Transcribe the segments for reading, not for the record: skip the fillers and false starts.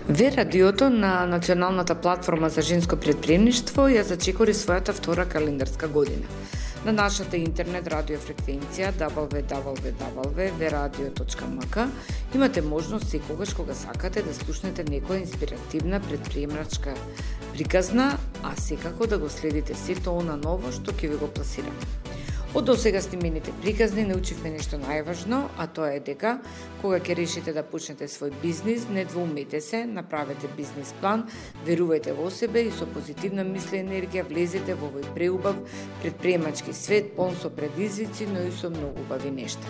Ве радиото на Националната платформа за женско претприемништво ја зачекори својата втора календарска година. На нашата интернет радиофреквенција www.veradio.mk имате можност секогаш кога сакате да слушнете некоја инспиративна претприемачка приказна, а секако да го следите сето она ново што ќе ви го пласираме. Од досега снимените приказни научивме нешто најважно, а тоа е дека кога ќе решите да почнете свој бизнис, не двоумете се, направете бизнис план, верувајте во себе и со позитивна мисла и енергија влезете во овој преубав претприемачки свет, полн со предизвици, но и со многу убави нешта.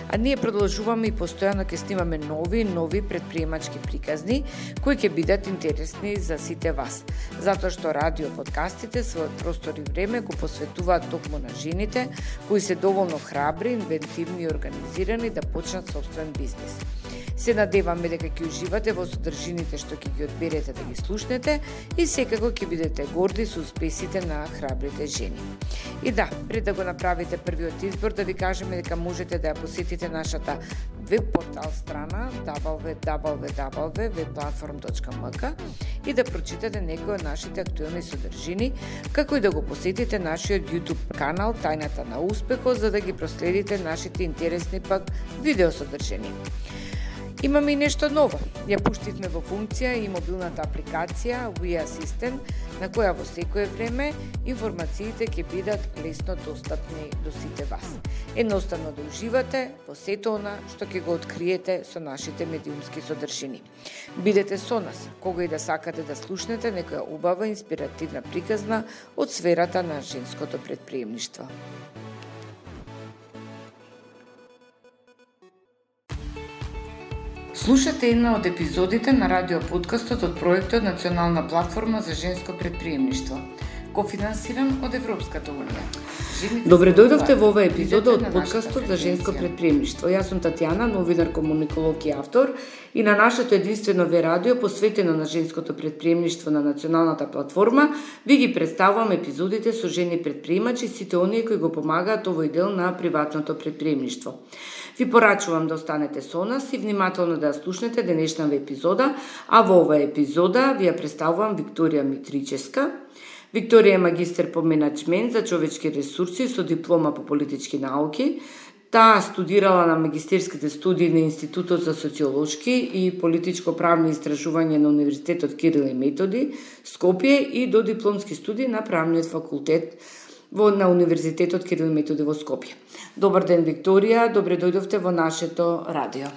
А ние продолжуваме и постојано ќе снимаме нови претприемачки приказни кои ќе бидат интересни за сите вас, затоа што радио подкастите својот простор и време го посветуваат токму на жените кои се доволно храбри, инвентивни и организирани да почнат сопствен бизнис. Се надеваме дека ќе уживате во содржините што ќе ги одберете да ги слушнете и секако ќе бидете горди со успесите на храбрите жени. И да, пред да го направите првиот избор, да ви кажеме дека можете да ја посетите нашата веб портал страна www.webplatform.mk и да прочитате некои од нашите актуелни содржини, како и да го посетите нашиот YouTube канал Тајната на успехот, за да ги проследите нашите интересни пак видеосодржини. Имаме и нешто ново. Ја пуштивме во функција и мобилната апликација We Assistant, на која во секое време информациите ќе бидат лесно достапни до сите вас. Едноставно да уживате во сето она што ќе го откриете со нашите медиумски содржини. Бидете со нас, кога и да сакате да слушнете некоја убава инспиративна приказна од сферата на женското претприемништво. Слушате една од епизодите на радиоподкастот од проектот Национална платформа за женско претприемништво, кофинансиран од Европската унија. Добре дојдовте во оваа епизода од подкастот за женско претприемништво. Јас сум Татјана, новинар, комуниколог и автор, и на нашето единствено Ве радио посветено на женското претприемништво на Националната платформа ви ги представувам епизодите со жени претприемачи, сите оние кои го помагаат овој дел на приватното претприемништво. Ви порачувам да останете со нас и внимателно да ја слушнете денешната епизода, а во оваа епизода ви ја представувам Викторија Митричевска. Викторија е магистер по менаџмент за човечки ресурси со диплома по политички науки. Таа студирала на магистерските студии на Институтот за социолошки и политичко-правни истражувања на Универзитетот Кирил и Методи, Скопје, и до дипломски студии на Правниот факултет на Универзитетот Кирил и Методи во Скопје. Добар ден, Викторија, добре дојдовте во нашето радио.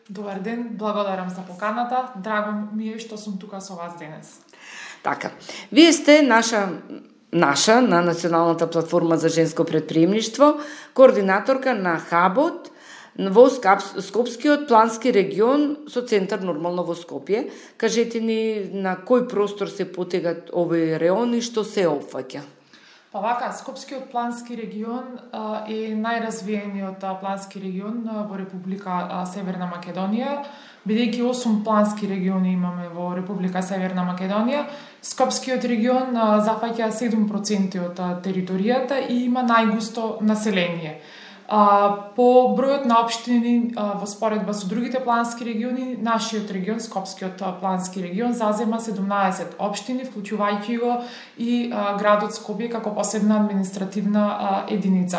Добар ден, благодарам за поканата. Драго ми е што сум тука со вас денес. Така, вие сте наша на Националната платформа за женско претприемништво, координаторка на хабот во Скопскиот плански регион со центар нормално во Скопје. Кажете ни на кој простор се потегат овој реон и што се опфаќа? Па вака, Скопскиот плански регион е најразвиениот плански регион во Република Северна Македонија. Бидејќи 8 плански региони имаме во Република Северна Македонија, Скопскиот регион зафаќа 7% од територијата и има најгусто население. По бројот на општини во споредба со другите плански региони, нашиот регион, Скопскиот плански регион, зазема 17 општини, вклучувајќи го и градот Скопје како посебна административна единица.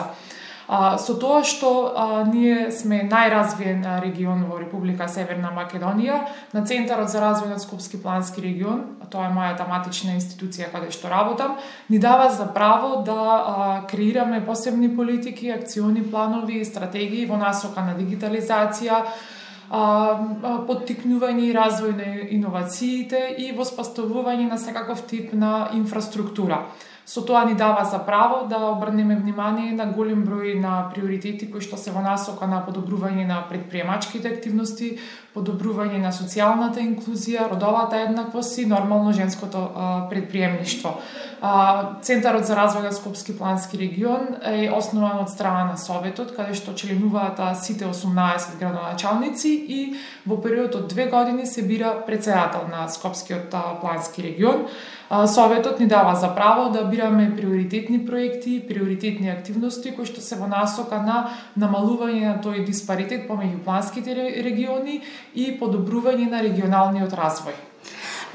Со тоа што ние сме најразвиен регион во Република Северна Македонија, на Центарот за развој на Скопски плански регион, тоа е мојата матична институција каде што работам, ни дава за право да креираме посебни политики, акциони планови и стратегии во насока на дигитализација, поттикнување и развој на иновациите и воспоставување на секаков тип на инфраструктура. Со тоа ни дава за право да обрнеме внимание на голем број на приоритети кои што се во насока на подобрување на претприемачките активности, подобрување на социјалната инклузија, родовата еднаквост и нормално женското претприемништво. Центарот за развој на Скопски плански регион е основан од страна на Советот, каде што членуваат сите 18 градоначалници и во период од 2 години се бира претседател на Скопскиот плански регион. Советот ни дава за право да бираме приоритетни проекти, приоритетни активности кои што се во насока на намалување на тој диспаритет помеѓу планските региони и подобрување на регионалниот развој.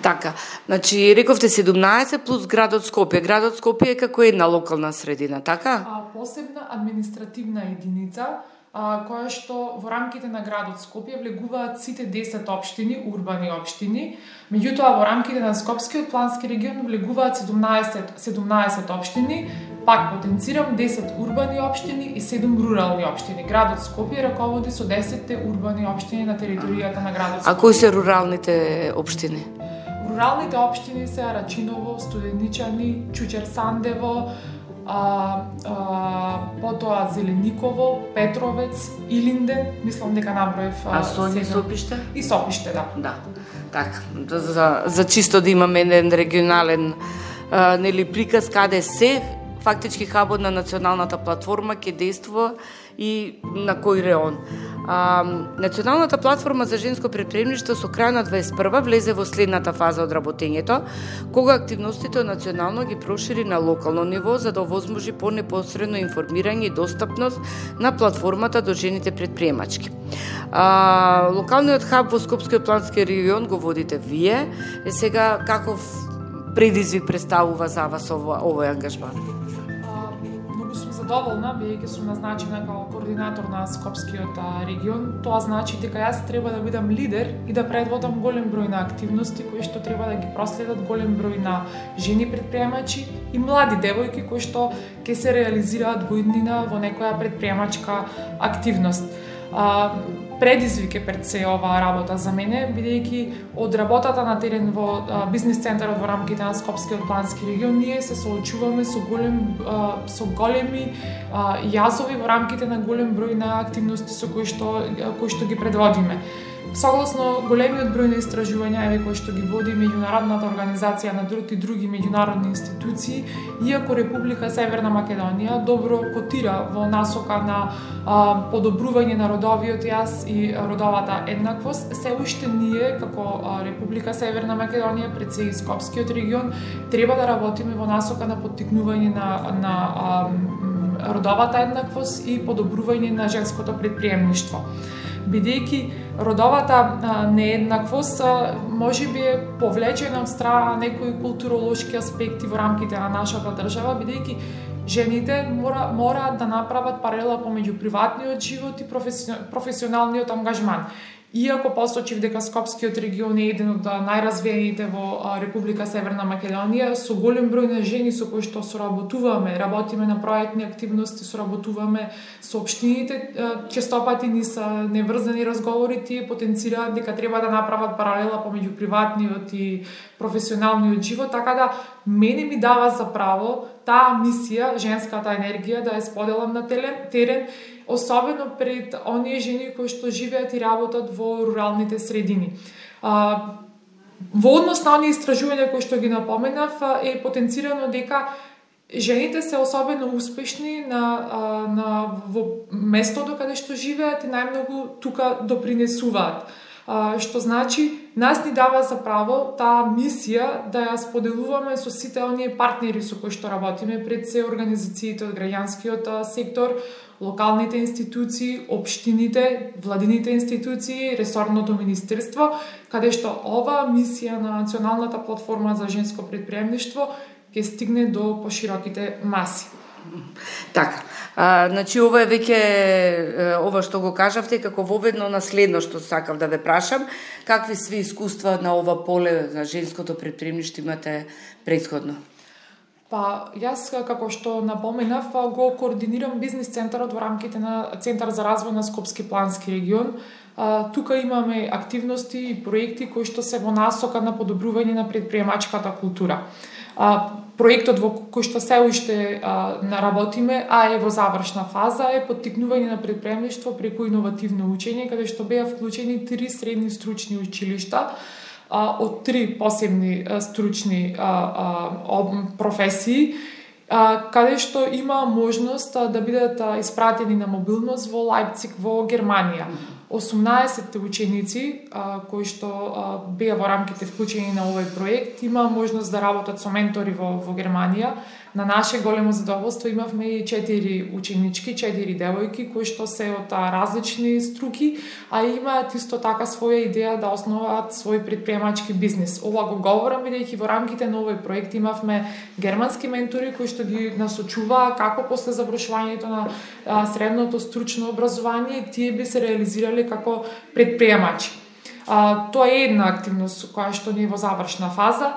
Така, значи рековте 17 плюс градот Скопје. Градот Скопје е како една локална средина, така? Посебна административна единица, која што во рамките на градот Скопје влегуваат сите 10 општини, урбани општини. Меѓутоа во рамките на Скопскиот плански регион влегуваат 17 општини, пак потенцирам 10 урбани општини и 7 рурални општини. Градот Скопје раководи со 10 урбани општини на територијата на градот Скопје. А кои се руралните општини? Руралните општини се Рачиново, Студеничани, Чучер Сандево, потоа Зелениково, Петровец, Илинден, мислам дека наброев. А Сонје, Сопиште? И Сопиште, да. Да. Така, за чисто да имаме еден регионален приказ каде се фактички хабот на националната платформа ќе действува и на кој реон. Националната платформа за женско претприемништво со крај на 21 влезе во следната фаза од работењето, кога активностите национално ги прошири на локално ниво за да овозможи понепосредно информирање и достапност на платформата до жените предприемачки. Локалниот хаб во Скопскиот плански регион го водите вие. Сега каков предизвик представува за вас овој ангажман? Задоволна, бидејќи сум назначена како координатор на Скопскиот регион. Тоа значи дека јас треба да бидам лидер и да предводам голем број на активности кои што треба да ги проследат голем број на жени предприемачи и млади девојки кои што ќе се реализираат во иднина во некоја предприемачка активност. Предизвик е пред се оваа работа за мене, бидејќи од работата на терен во бизнис центарот во рамките на Скопскиот плански регион ние се соочуваме со големи јазови во рамките на голем број на активности со кои што ги предводиме. Согласно големиот број на истражувања кои што ги води меѓународната организација на труд и други меѓународни институции, иако Република Северна Македонија добро котира во насока на подобрување на родовиот јас и родовата еднаквост, се уште ние како Република Северна Македонија пред се и Скопскиот регион треба да работиме во насока на поттикнување на родовата еднаквост и подобрување на женското предприемништво. Бидејќи родовата нееднаквост можеби е повлечена од страна некои културолошки аспекти во рамките на нашата држава, бидејќи жените мораат да направат паралела помеѓу приватниот живот и професионалниот ангажман. Иако посочив дека Скопскиот регион е еден од најразвиените во Република Северна Македонија, со голем број на жени со кои што соработуваме, работиме на проектни активности, соработуваме со општините, честопати ни се неврзани разговори, тие потенцираат дека треба да направат паралела помеѓу приватниот и професионалниот живот, така да мене ми дава за право таа мисија, женската енергија, да ја споделам на терен, особено пред оние жени кои што живеат и работат во руралните средини. Во однос на оние истражувања кои што ги напоменав, е потенцирано дека жените се особено успешни во местото каде што живеат и најмногу тука допринесуваат. Што значи, нас ни дава за право таа мисија да ја споделуваме со сите оние партнери со кои што работиме, пред се организациите од граѓанскиот сектор, локалните институции, општините, владините институции, ресорното министерство, каде што ова мисија на Националната платформа за женско предприемништво ќе стигне до пошироките маси. Така, значи ова е веќе ова што го кажавте како воведно наследно што сакав да ве прашам, какви сви искуства на ова поле за женското предприемништво имате претходно? Јас, како што напоменав, го координирам бизнис центарот во рамките на Центар за развој на Скопски плански регион. Тука имаме активности и проекти кои што се во насока на подобрување на предприемачката култура. Проектот во кој што се уште наработиме, а е во завршна фаза, е поттикнување на предприемништво преку иновативно учење, каде што беа вклучени 3 средни стручни училишта од 3 посебни стручни професии, каде што има можност да бидат испратени на мобилност во Лајпциг во Германија. 18 ученици кои што беа во рамките вклучени на овој проект има можност да работат со ментори во Германија. На наше големо задоволство имавме и 4 ученички, 4 девојки кои што се од различни струки, а имаат исто така своја идеја да основаат свој предприемачки бизнис. Ова го говорам бидејќи во рамките на овој проект имавме германски ментори кои што ги насочуваа како после завршувањето на средното стручно образование тие би се реализирале како предприемачи. Тоа е една активност која што не е во завршна фаза.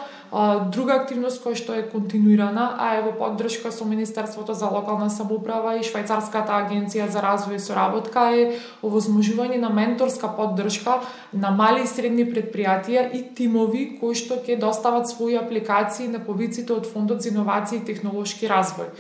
Друга активност која што е континуирана, а е во поддршка со Министерството за локална самоуправа и Швајцарската агенција за развој и соработка е овозможување на менторска поддршка на мали и средни предпријатија и тимови кои што ќе достават своји апликации на повиците од Фондот за иновации и технолошки развој.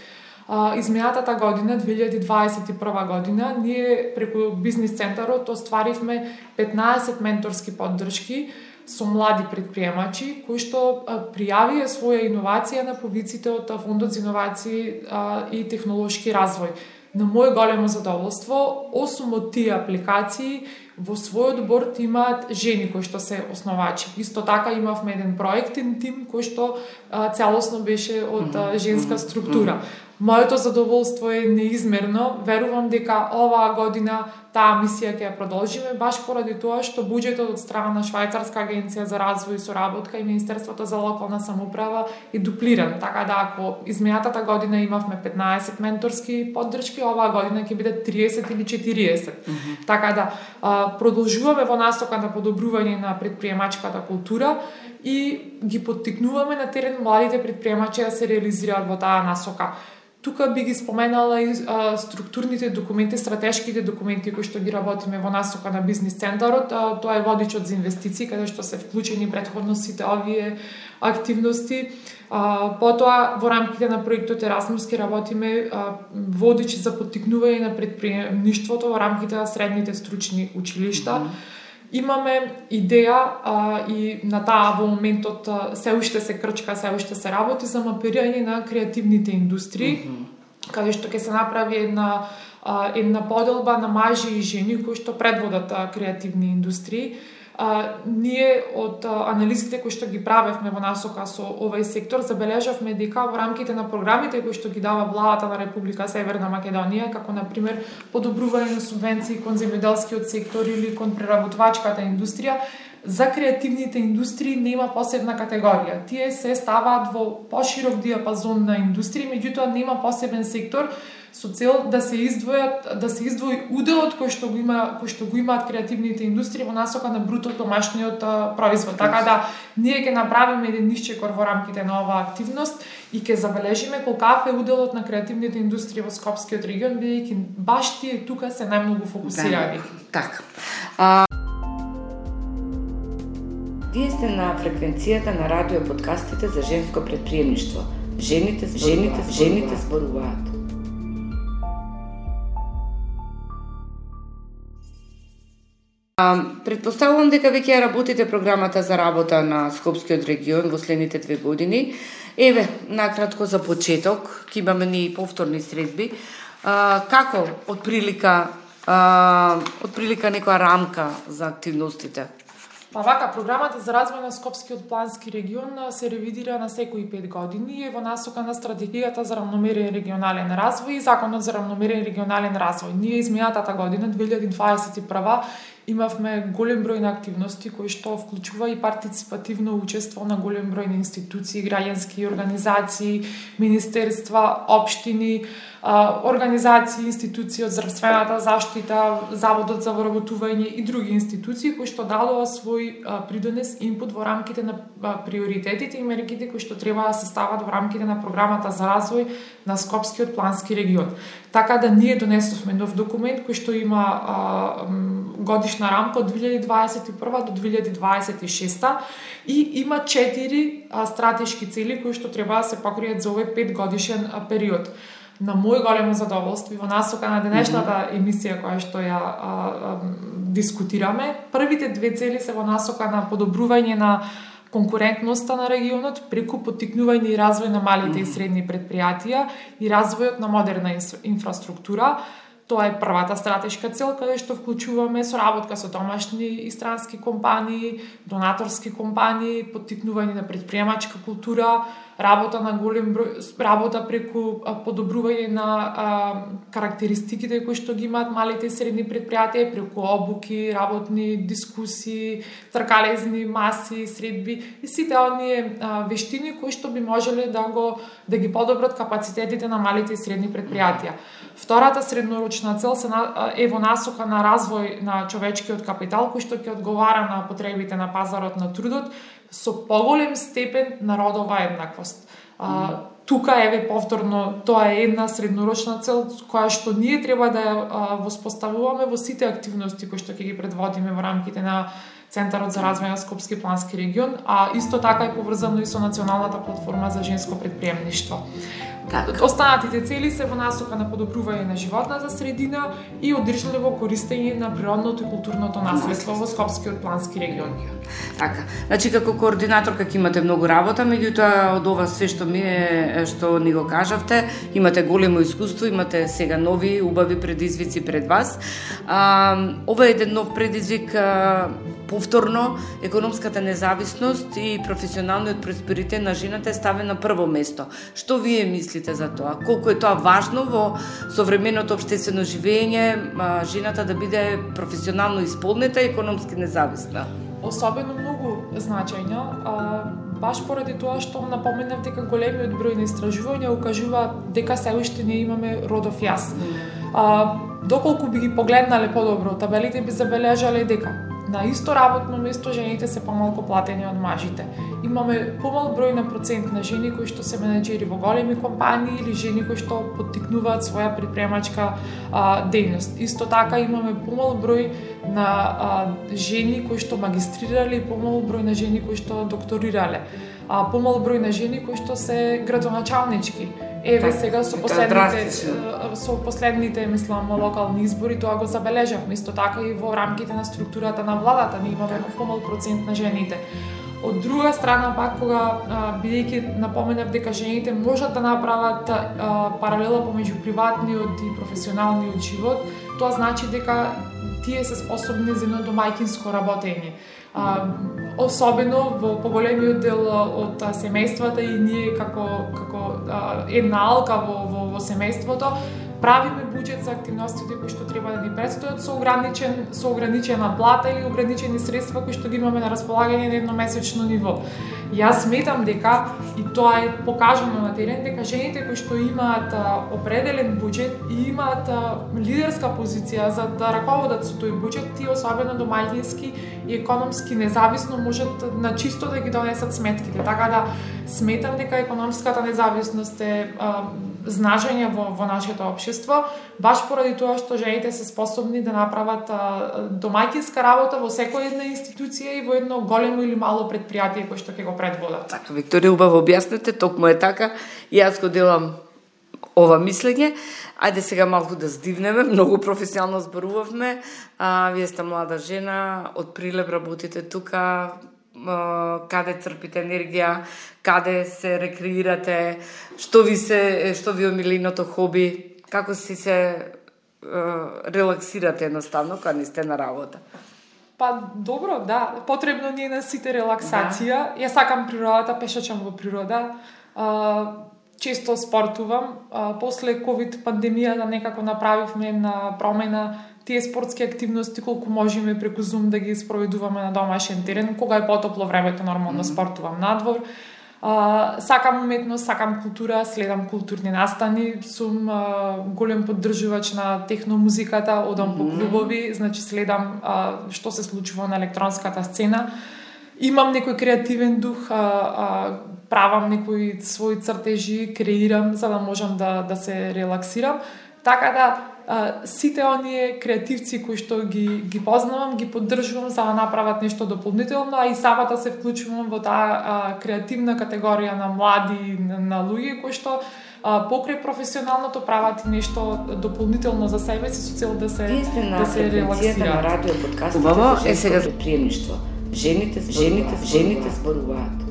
Изминатата година, 2021 година, ние преку бизнис центарот остваривме 15 менторски поддршки со млади предприемачи кои што пријавија своја иновација на повиците од Фондот за иновации и технолошки развој. На моје големо задоволство, 8 од тие апликации во својот борд имаат жени кои што се основачи. Исто така имавме еден проектен тим кој што целосно беше од женска структура. Моето задоволство е неизмерно. Верувам дека оваа година таа мисија ќе ја продолжиме баш поради тоа што буџетот од страна на Швајцарска агенција за развој и соработка и Министерството за локална самоуправа е дуплиран. Така да ако изминатата година имавме 15 менторски поддршки, оваа година ќе биде 30 или 40. Така да продолжуваме во насока на подобрување на предприемачката култура и ги поттикнуваме на терен младите предприемачи да се реализираат во таа насока. Тука би ги споменала и структурните документи, стратешките документи кои што ги работиме во насока на бизнис центарот. Тоа е водичот за инвестиции, каде што се вклучени претходно сите овие активности. Потоа во рамките на проектот Erasmus ке работиме водич за поттикнување на предприемништвото во рамките на средните стручни училишта. Имаме идеја и на таа во моментот се уште се крчка, се уште се работи за мапирање на креативните индустрии, каде што ќе се направи една поделба на мажи и жени кои што предводат креативни индустрии. Ние од анализите кои што ги правевме во насока со овој сектор забележавме дека во рамките на програмите кои што ги дава владата на Република Северна Македонија, како на пример подобрување на субвенции кон земјоделскиот сектор или кон преработвачката индустрија, за креативните индустрии нема посебна категорија. Тие се ставаат во поширок диапазон на индустрии, меѓутоа нема посебен сектор со цел да се издвои уделот кој што го имаат креативните индустрии во насока на бруто домашниот производ. Така да ние ќе направиме еден нисчекор во рамките на оваа активност и ќе забележиме колкав е уделот на креативните индустрии во Скопскиот регион, бидејќи баш тие тука се најмногу фокусирани. Така. Вие сте на фреквенцијата на радио подкастите за женско предприемништво. Жените зборуваат. Предпоставувам дека веќе ја работите програмата за работа на Скопскиот регион во следните 2 години. Еве, накратко за почеток, ќе имаме ни повторни средби. Како од прилика некоја рамка за активностите? Вака, програмата за развој на Скопскиот плански регион се ревидира на секои 5 години во насока на стратегијата за рамномерен регионален развој и законот за рамномерен регионален развој. Ние изминатата година, 2021, имавме голем број на активности кои што вклучува и партиципативно учество на голем број на институции, граѓански организации, министерства, општини, организации, институции од здравствената заштита, Заводот за вработување и други институции кои што дадоа свој придонес инпут во рамките на приоритетите и мерките кои што треба да се стават во рамките на програмата за развој на Скопскиот плански регион. Така да ние донесовме нов документ кој што има годишна рамка од 2021 до 2026 и има 4 стратешки цели кои што треба да се покријат за овој 5 годишен период. На мој големо задоволство и во насока на денешната емисија која што ја дискутираме, првите 2 цели се во насока на подобрување на конкурентноста на регионот преку поттикнување и развој на малите и средни предпријатија и развојот на модерна инфраструктура. Тоа е првата стратешка цел, каде што вклучуваме соработка со домашни и странски компании, донаторски компании, поттикнување на претприемачка култура, работа на голем број, работа преку подобрување на карактеристиките кои што ги имаат малите и средни предпријатија, преку обуки, работни дискусии, тркалезни маси, средби и сите оние вештини кои што би можеле да ги подобрат капацитетите на малите и средни предпријатија. Втората среднорочна цел е во насока на развој на човечкиот капитал кој што ќе одговара на потребите на пазарот на трудот со поголем степен на родова еднаквост. Тука еве повторно тоа е една среднорочна цел која што ние треба да ја воспоставуваме во сите активности кои што ќе ги предводиме во рамките на Центарот за развој на Скопски плански регион, а исто така е поврзано и со националната платформа за женско претприемништво. Останатите цели се во насока на подобрување на животната средина и одржливо користење на природното и културното наследство во Скопскиот плански регион. Така, значи како координаторка ќе имате многу работа, меѓутоа од ова све што ни го кажавте, имате големо искуство, имате сега нови убави предизвици пред вас. Ова е еден нов предизвик, повторно економската независност и професионалниот просперитет на жената е ставен на прво место. Што вие мислите за тоа? Колку е тоа важно во современото општествено живење, жената да биде професионално исполнета и економски независна? Особено многу значајно, баш поради тоа што напоменав дека големиот број на истражувања укажуваат дека се уште не имаме родов јас. Доколку би ги погледнале подобро табелите, би забележале дека на исто работно место жените се помалку платени од мажите. Имаме помал број на процент на жени кои што се менеџери во големи компании или жени кои што поттикнуваат своја предприемачка дејност. Исто така имаме помал број на жени кои што магистрирале и помал број на жени кои што докторирале. Помал број на жени кои што се градоначалнички. Еве сега со последните мислам локални избори тоа го забележавме. Исто така и во рамките на структурата на владата ние имаме помал процент на жените. Од друга страна пак кога бидејќи напоменав дека жените можат да направат паралела помеѓу приватниот и професионалниот живот, тоа значи дека тие се способни за едно домајќинско работење. Особено во поголемиот дел од семејствата и ние како една алка во семејството правиме буџет за активностите кои што треба да ни предстојат со ограничена плата или ограничени средства кои што ги имаме на располагање на едномесечно ниво. Јас сметам дека, и тоа е покажано на терен, дека жените кои што имаат определен буџет и имаат лидерска позиција за да раководат со тој буџет, тие особено домаќински и економски независно можат на чисто да ги донесат сметките. Така да сметам дека економската независност е значање во нашето општество, баш поради тоа што жените се способни да направат домаќинска работа во секоја една институција и во едно големо или мало предпријатие кој што ќе го предводат. Така, Викторија, убаво објаснете, токму е така. И јас го делам ова мислење. Ајде сега малку да здивнеме, многу професионално зборувавме. Вие сте млада жена, од прилеп работите тука, каде црпите енергија, каде се рекреирате, што ви омиленото хоби, како си се релаксирате едноставно кога не сте на работа? Па добро, да, потребно ни е на сите релаксација. Јас сакам природата, пешачам во природа. Често спортувам. После ковид пандемијата некако направивме една промена. Тие спортски активности колку можеме преку Zoom да ги спроведуваме на домашен терен, кога е потопло времето нормално спортувам надвор. Сакам уметност, сакам култура, следам културни настани, сум голем поддржувач на техномузиката, одам по клубови, значи следам што се случува на електронската сцена. Имам некој креативен дух, правам некои своји цртежи, креирам за да можам да се релаксирам. Така да сите оние креативци кои што ги познавам, ги поддржувам за да направат нешто дополнително, а и самата се вклучувам во таа креативна категорија на млади, на луѓе кои што покрај професионалното прават нешто дополнително за себе си со цел да се релаксираат. На радио подкаст. Убаво е сега за приемништво. Жените зборуваат.